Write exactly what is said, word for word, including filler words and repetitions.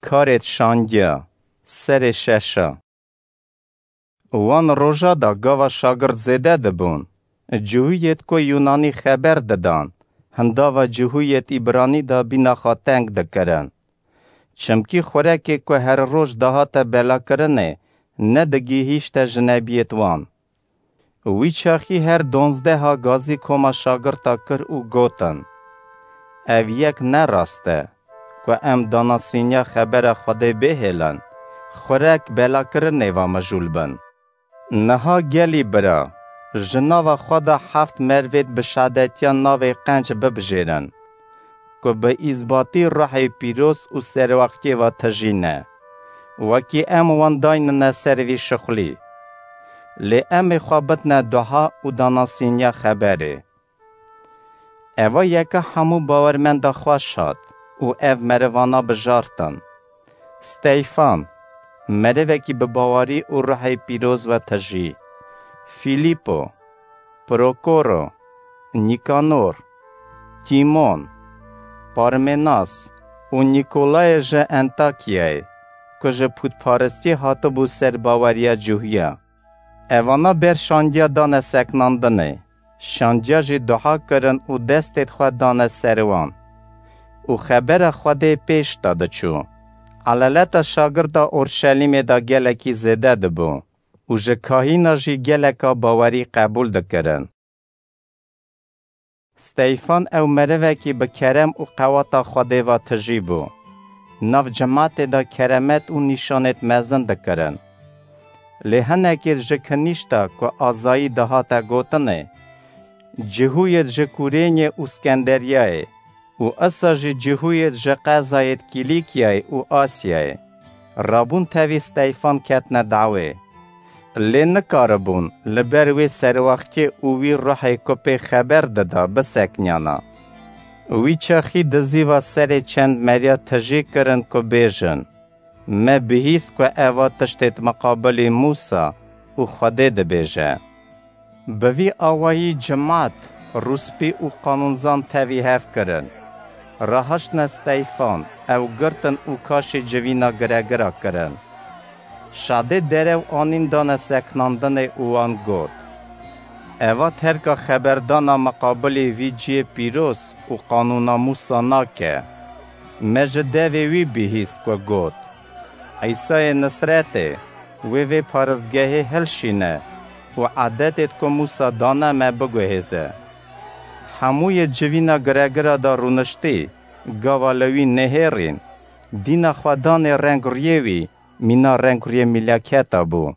Karêt şangiya, serê şeşa. Wan roja de gava şagirt zêde dibûn, cihûyêt ku Yûnanî xeber didan, hindava cihûyêt Îbranî de bîna xwe teng dikirin. Çimkî xurekê ku her roj dihate belakirinê, nedigihîşte jinebiyêt wan. Wî çaxî her donzdeha gazî koma şagirta kir û gotin, Ev yek ne rast e, ku em danasîniya xebera Xwedê bêhêlin, xurek belakirinê ve mijûl bin. Niha gelî bira, ji nava xwe de heft mervêt bi şadetiya navê qenc bibijêrin, ku bi îzbatî ruhê pîroz û serwextiyê ve tijî ne, wekî em wan daynine ser vî şixulî. Lê em ê xwe bidine duha û danasîniya xeberê. Eva yeke hemû bawermenda xweş hat û ev merivana bijartin. Steyfan, merivekî bi bawerî û ruhê pîroz ve tijî. Fîlîpo, Prokoro, Nîkanor, Tîmon, Parmenas û Nîkolayê ji Entakyayê, ku ji pûtparistî hatibû ser baweriya cihûya. Evana ber şandiya dane seknandinê, şandiya jî duha kirin û destêt xwe dane ser wan. Û xebera Xwedê pêş de diçû. Eleleta şagirta Orşelîmê de gelekî zêde dibû û ji kahîna jî geleka bawerî qebûl dikirin. Steyfan ew merivekî bi kerem û qewata Xwedê ve tijî bû. Nav cimatê de keremet û nîşanêt mezin dikirin. Lê hinekêt ji kinîşta ku azayî dihate gotinê, cihûyêt ji Kurênyê û Skenderyayê û isa jî cihûyêt ji qezayêt Kîlîkyayê û Asyayê rabûn tevî Steyfan ketine dawê. Lê nikaribûn li ber wê serwextiyê û wî ruhê ku pê xeber dida bisekniyana. Wî çaxî dizîva serê çend meriya tijî kirin ku bêjin, Me bihîst ku eva tiştêt miqabilî Mûsa û Xwedê dibêje. Bi vî awayî cimat, rûspî û qanûnzan tevî hev kirin. Rahaştine Steyfan, ew girtin û kaşî civîna giregira kirin. Şadê derew anîn dane seknandinê û wan got, Eva terka xeberdana miqabilî vî ciyê pîroz û qanûna Mûsa nake. Me ji devê wî bihîst ku got, Îsayê Nisretê, wê vê paristgehê hilşîne û edetêt ku Mûsa dane me biguhêze. Hemûyê civîna giregira de rûniştî, gava li wî nehêrîn, dîna xwe danê reng rûyê wî, mîna reng rûyê mîlaketa bû.